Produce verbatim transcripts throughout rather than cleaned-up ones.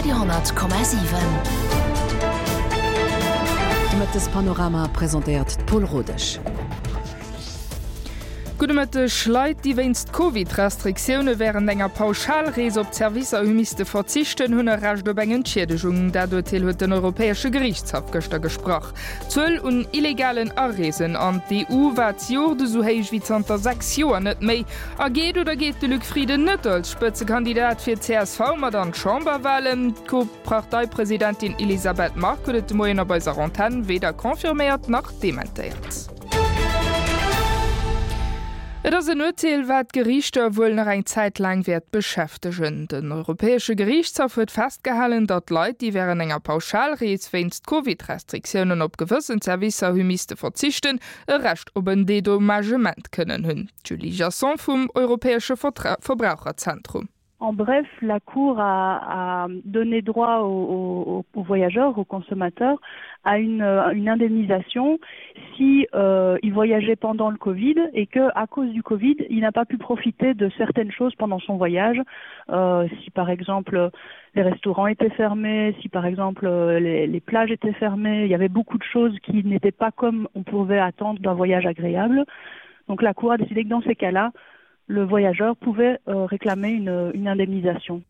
Radio honnert Komma siwen. De Mëttespanorama presentéiert d'Paule Rodesch. Gudde Mëtteg. Leit, déi wéinst Covid-Restriktioune wärend enger Pauschalrees op Zerwisser hu misste verzichten, hunn e Recht op eng Entschiedegung. Dat Urteel huet den Europäesche Geriichtshaff gëschter gesprach. D'Zuel un illegalen Areesen an d'E U war d'Joert esou héich wéi zanter sechs Joer net méi. A geet oder geet de Luc Frieden net als Spëtzekandidat fir d'C S V mat an d'Chamberwalen? D'Co-Parteipresidentin Elisabeth Margue huet et de Moien op eiser Antenn weder confirméiert nach dementéiert. Et ass en Urteel, wat d'Geriichter wuel nach eng Zäit laang wäert beschäftegen. Den Europäesche Geriichtshaff huet festgehalen, datt Leit, déi wärend enger Pauschalrees wéinst Covid-Restriktiounen op gewëssen Servicer hu misste verzichten, e Recht op en Dedommagement kënnen hunn. D'Julie Jasson vum Europäesche Verbraucherzentrum. En bref, la Cour a, a donné droit aux, aux, aux voyageurs, aux consommateurs, à une, une indemnisation si euh, il voyageait pendant le Covid et que à cause du Covid, il n'a pas pu profiter de certaines choses pendant son voyage. Euh, si par exemple les restaurants étaient fermés, si par exemple les, les plages étaient fermées, il y avait beaucoup de choses qui n'étaient pas comme on pouvait attendre d'un voyage agréable. Donc la Cour a décidé que dans ces cas-là, le voyageur pouvait euh, réclamer une, une indemnisation.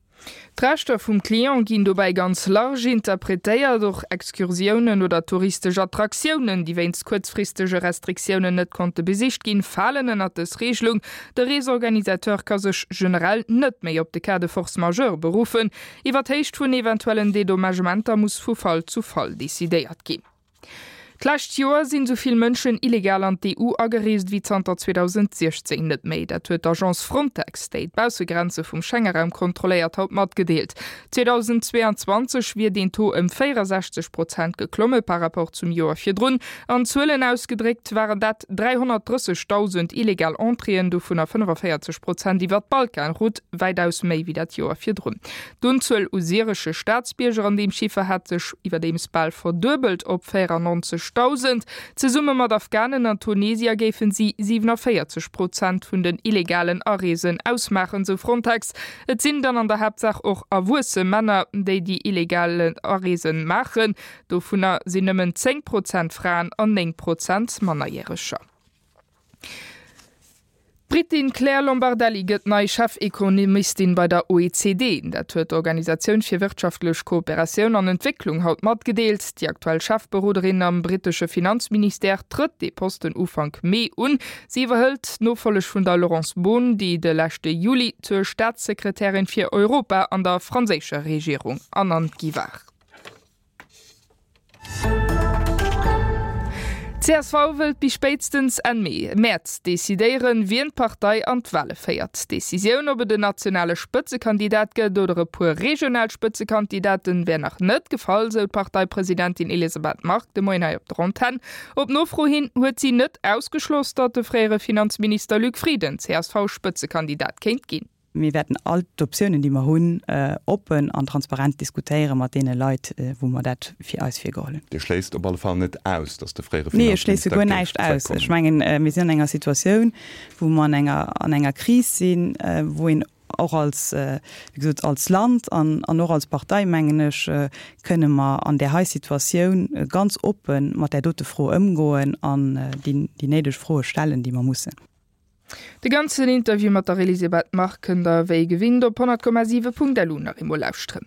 D'Rechter vum Client ginn dobäi ganz large interpretéiert, och Excursiounen oder touristesch Attraktiounen, déi wéinst kuerzfristege Restriktiounen net konnte besicht ginn, falen ënnert dës Regelung. De Reesorganisateur ka sech generell net méi op de Cas de force majeure beruffen. Iwwer d'Héicht vun eventuellen Dedommagementer muss vu Fall zu Fall decidéiert ginn. D'lescht Joer sinn esou vill Mënschen illegal an d'E U agereest wéi zanter zweedausendsiechzéng net méi. Dat huet d'Agence Frontex, déi d'Baussegrenze vum Schengeraum kontrolléiert, haut matgedeelt. zweedausendzweeanzwanzeg wier deen Taux ëm véierensechzeg Prozent geklomme par rapport zum Joer virdrun. An Zuelen ausgedréckt waren dat dräihonnertdrëssegdausend illegal Entréeën, dovunner fënnefavéierzeg Prozent iwwer d'Balkanroute, wäitaus méi wéi dat Joer virdrun. D'Unzuel u syresche Staatsbierger an deem Chiffer hat sech iwwerdeems bal verduebelt op véierannonzegdausend. Zesumme mat Afghanen an Tunesier géifen si siewenundvéierzeg Prozent vun den illegalen Areesen ausmaachen, sou Frontex. Et sinn dann an der Haaptsaach och erwuesse Männer, déi déi illegal Areesen maachen. Dovunner sinn nëmmen zéng Prozent Fraen an néng Prozent Mannerjäreger. D'Britin Claire Lombardelli gëtt nei Chefekonomistin bei der O E C D. Dat huet d'Organisatioun fir wirtschaftlech Kooperatioun an Entwécklung haut matgedeelt. Déi aktuell Chefberoderin am brittesche Finanzministère trëtt dee Posten Ufank Mee un. Si iwwerhëlt d'Nofolleg vun der Laurence Boone, déi de leschte Juli zur Staatssekretärin fir Europa an der franséischer Regierung ernannt gi war. D C S V wëllt bis spéitstens Enn Mee, Mäerz decidéieren, wien d'Partei an d'Wale féiert. D'Decisioun, ob et en nationale Spëtzekandidat gëtt oder e puer regional Spëtzekandidaten, wär nach net gefall, sou d'Parteipresidentin Elisabeth Margue de Moien hei op der Antenn. Op Nofro hin huet si net ausgeschloss, datt de fréiere Finanzminister Luc Frieden C S V-Spëtzekandidat kéint ginn. Mir wäerten all d'Optiounen, déi mer hunn, oppen an transparent diskutéiere mat deene Leit, wou mer dat fir eis virgeholl hunn. Dir schléisst op alle Fall net aus, datt de fréiere Nee, ech schléisse Finanzminister guer géif näischt aus. zréckkommen. Ech mengen, mir sinn an enger Situatioun, wou mer an enger, an enger Kris sinn, wou een och als, wéi gesot, als Land an, an och als Partei, mengen ech, kënne mer an där hei Situatioun ganz oppe mat där dote Fro ëmgoen an déi, déi néideg Froe stellen, déi mer mussen. De ganzen Interview mat der Elisabeth Margue kënnt der wéi gewinnt op honnert Komma siwe Punkt L U nach eemol lauschteren.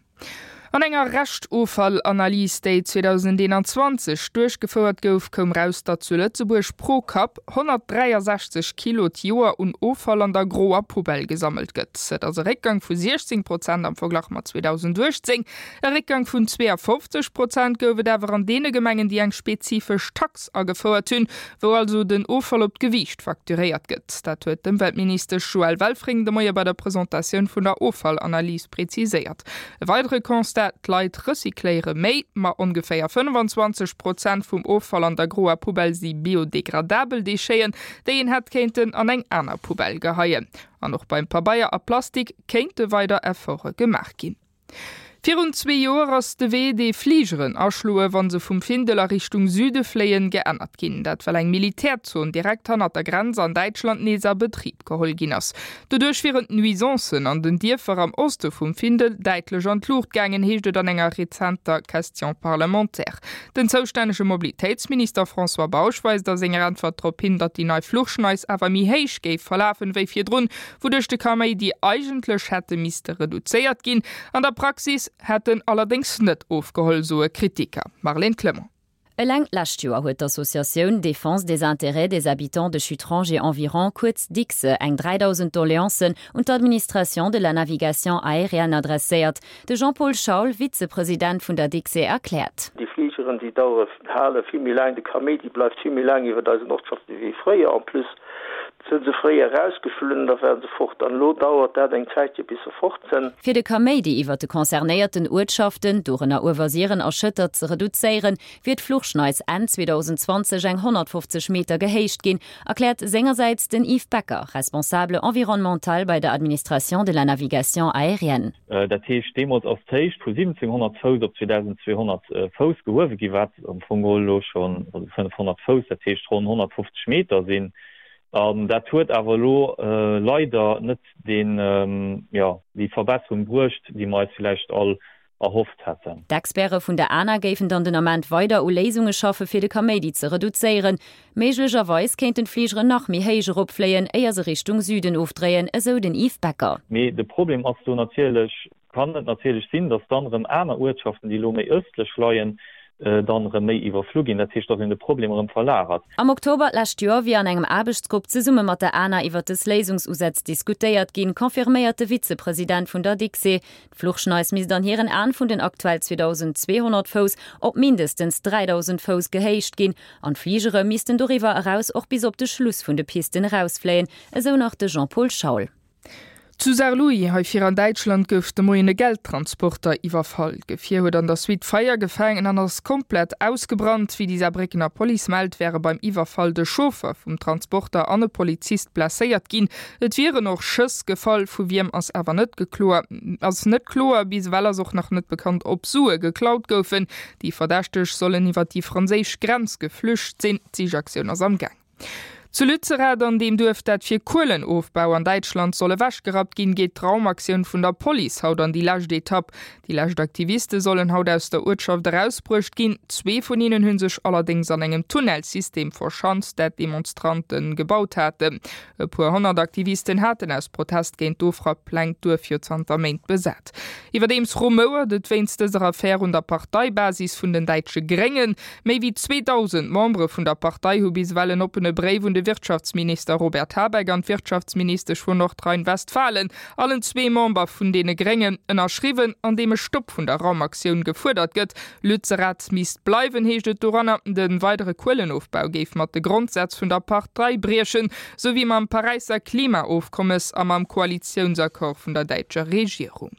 An enger Reschtoffallanalys, déi zweedausendeenanzwanzeg duerchgefouert gouf, koum raus, datt zu Lëtzebuerg pro Kapp honnertdräiasechzeg Kilo d'Joer un Offall an der groer Poubelle gesammelt gëtt. Dat ass e Réckgang vu siechzéng Prozent am Verglach mat zweedausenduechtzéng. E Réckgang vun zweeafofzeg Prozent gouf et awer an deene Gemengen, déi eng spezifesch Tax agefouert hunn, wou also den Offall op d'Gewiicht facturéiert gëtt. Dat huet d'Ëmweltministesch Joëlle Welfring de Moie bei der Presentatioun vun der Offallanalys preziséiert. E weidere Constat: D'Leit recycléiere méi, ma ongeféier fënnfanzwanzeg Prozent vum Offall an der groer Poubelle si biodegradabel Décheten, déi een hätt kéinten an eng aner Poubelle geheien. An och beim Pabeier a Plastik kéinte weider Efforte gemaach ginn. Virun zwee Joer ass de Wee, dee Fligeren aschloe wa se vum Findel a Richtung Süde fléien, geännert ginn. Dat well eng Militärzon direkt hannert der Grenz an Däitschland nees a Betrib geholl ginn ass. Doduerch wieren d'Nuisancen an den Dierfer am Oste vum Findel däitlech an d'Luucht gaangen, heescht et an enger rezenter Question parlementaire. Den zoustännege Mobilitéitsminister François Bausch weist a senger Äntwert drop hin, datt déi nei Fluchschneis awer méi héich géif verlafen wéi virdrun, wouduerch de Kaméidi eigentlech hätte misste reduzéiert ginn. An der Praxis hätt en allerdéngs net ofgeholl, soe Kritiker. Marlène Clement. Eleng d'lescht Joer huet d'Associatioun Défense des intérêts des habitants de Schuttrange et environs, kuerz DICSE, eng dräidausend Doleancen un d'Administration de la navigation aérienne adresséiert. De Jean-Paul Schaul, Vizepresident vun der DICSE erkläert. Déi Fligeren, déi dauere, hale vill méi laang, de Kaméidi bleift vill méi laang iwwer eisen Ortschaften wéi fréier. En plus sinn se fréier erausgeflunn an da waren se fort. An elo dauert dat eng Zäitche bis se fort sinn. Fir de Kaméidi iwwer de concernéierten Uertschaften, dorënner Uewersiren a Schëtter, ze reduzéieren, wier d'Fluchschneis Enn zweedausendzwanzeg eng honnertfofzeg Meter gehéicht ginn, erkläert sengersäits den Yves Becker, Responsable environnemental bei der Administration de la navigation aérienne. Dat heescht, deemools ass d'Héicht vu siwwenzénghonnert Fouss op zweedausendzweehonnert Fouss gehuewe ginn, wat am Fong geholl elo schonn, also fënnefhonnert Fouss, dat heescht ronn honnertfofzeg Meter sinn. An dat huet awer elo leider net deen, jo, déi Verbesserung bruecht, déi mer eis villäicht all erhofft hätten. D'Experte vun der ANA géifen dann den Ament weider u Léisunge schaffe fir de Kaméidi ze reduzéieren. Méiglecherweis kéinten d'Fligeren nach méi héich eropfléien, éier se Richtung Süden ofdréien, esou den Yves Becker. Mee de Problem ass do natierlech, kann et natierlech sinn, datt dann erëm aner Uertschaften, déi elo méi ëstlech leien, dann erëm méi iwwerflu ginn. Dat heescht, datt een de Problem erëm verlagert. Am Oktober d'lescht Joer wier an engem Aarbechtsgrupp zesumme mat der ANA iwwer dës Léisungsusätz diskutéiert ginn, confirméiert de Vizepresident vun der DICSE. D'Fluchschneis misst an hiren Aen vun den aktuell zweedausendzweehonnert Fouss op mindestens dräidausend Fouss gehéicht ginn an d'Fligere missten doriwwer eraus och bis op de Schluss vun de Pisten erausfléien, esou nach de Jean-Paul Schaul. Zu Saarlouis, hei vir an Däitschland, gouf de Moien e Geldtransporter iwwerfall. D'Gefier huet an der Suite Feier gefaangen an ass komplett ausgebrannt. Wéi déi Saarbréckener Police mellt, wäre beim Iwwerfall de Chauffer vum Transporter an e Polizist blesséiert ginn. Et wieren och Schëss gefall, vu wiem ass awer net gekloer ass net kloer. Bis ewell ass och nach net bekannt, ob Sue geklaut goufen. Déi Verdächteg sollen iwwer déi franséisch Grenz geflücht sinn. D'Sichaktioun ass am Gaang. Zu Lützerath, an deem Duerf, dat fir Kuelenofbau an Däitschland soll ewechgerappt ginn, geet d'Raumaktioun vun der Police haut an déi lescht Etapp. Déi lescht Aktiviste sollen haut aus der Uertschaft erausbruecht ginn. Zwee vun hinnen hu sech allerdéngs an engem Tunnelsystem verschanzt, dat d'Demonstrante gebaut haten. E puer honnert Aktivisten haten aus Protest géint d'Ofrapppläng d'Duerf jo zanter Méint besat. Iwwerdeems rumouert et wéinst dëser Affär un der Parteibasis vun den däitsche Gréngen. Méi wéi zweedausend Membere vun der Partei hu bis ewell en oppene Bréif un de Wirtschaftsminister Robert Habeck an d'Wirtschaftsministesch vun Nordrhein-Westfalen, allen zwee Member vun deene Gréngen, ënnerschriwwen, an deem e Stopp vun der Raumaktioun gefuerdert gëtt. Lützerath misst bleiwen, heescht et doranner. De weidere Kuelenofbau géif mat de Grondsätz vun der Partei briechen, sou wéi mam Paräisser Klimaofkommes a mam Koalitiounsaccord vun der däitscher Regierung.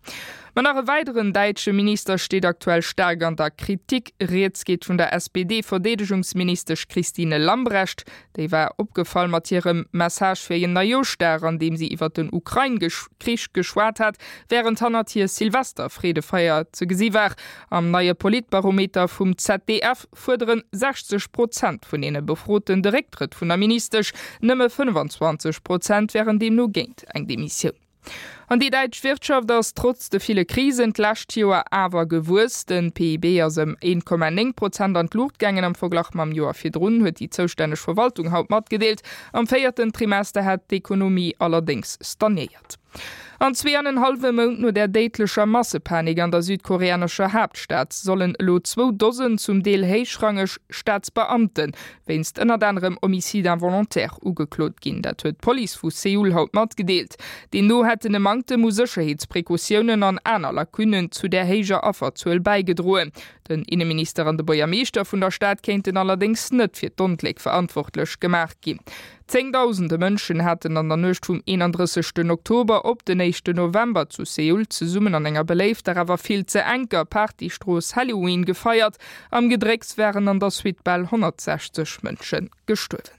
Ma nach e weideren däitsche Minister steet aktuell staark an der Kritik. Rieds geet vun der S P D-Verdeedegungsministesch Christine Lambrecht. Déi war opgefall mat hirem Message fir en Neijooschdag, an deem si iwwer den Ukrain-Krich geschwat hat, wärend hannert hir Silvester-Freedefeier ze gesi war. Am neie Politbarometer vum Z D F fuerderen sechzeg Prozent vun deene Befroten de Récktrëtt vun der Ministesch, nëmme fënnefenzwanzeg Prozent wären deemno géint eng Demissioun. An déi däitsch Wirtschaft ass trotz de ville Krisen d'lescht Joer awer gewuess. Den P I B ass ëm een Komma néng Prozent an d'Luucht gaangen am Verglach mam Joer virdrun, huet déi zoustänneg Verwaltung haut matgedeelt. Am véierten Trimester hätt d'Ekonomie allerdéngs stagnéiert. An zwee an en hallwe Mount no der déidlecher Massepanik an der südkoreanescher Haaptstad sollen elo zwou Dosen zum Deel héichrangeg Staatsbeamte wéinst ënnert anerem Homicide involontaire ugeklot ginn. Dat huet d'Police vu Seoul haut matgedeelt. Deemno hätten e Manktem u Sécherheetsprecautiounen an aner Lacunnen zu der héijer Afferzuel bäigedroen. Den Inneminister an de Buergermeeschter vun der Stad kéinten allerdéngs net fir d'Ongléck verantwortlech gemaach ginn. Zéngdausende Mënschen haten an der Nuecht vum eenandrëssegsten Oktober op den éischten November zu Seoul zesummen an enger beléifter awer vill ze enker Partystrooss Halloween gefeiert. Am Gedrécks waren an der Suite bal honnertsechzeg Mënsche gestuerwen.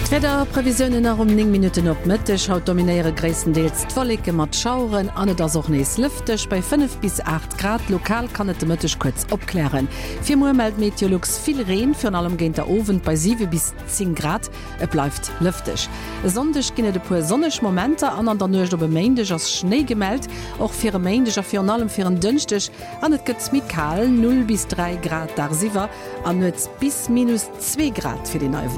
D'Wiederprevisiounen nach um néng Minutten op Mëtteg, Haut dominéiere gréisstendeels d'Wolleke mat Schaueren an et ass och nees lëfteg bei fënnef bis aacht Grad. Lokal kann et de Mëtteg kuerz opklären. Fir muer mellt Meteolux vill Reen, virun allem géint der Owend bei siwe bis zéng Grad. Et bleift lëfteg. E Sonndeg ginn et e puer sonneg Momenter an an der Nuecht op e Méindeg ass Schnéi gemellt, och fir e Méindeg a virun allem fir en Dënschdeg. An et gëtt méi kal, null bis dräi Grad dagsiwwer an nuets bis minus zwee Grad fir déi nei Woch.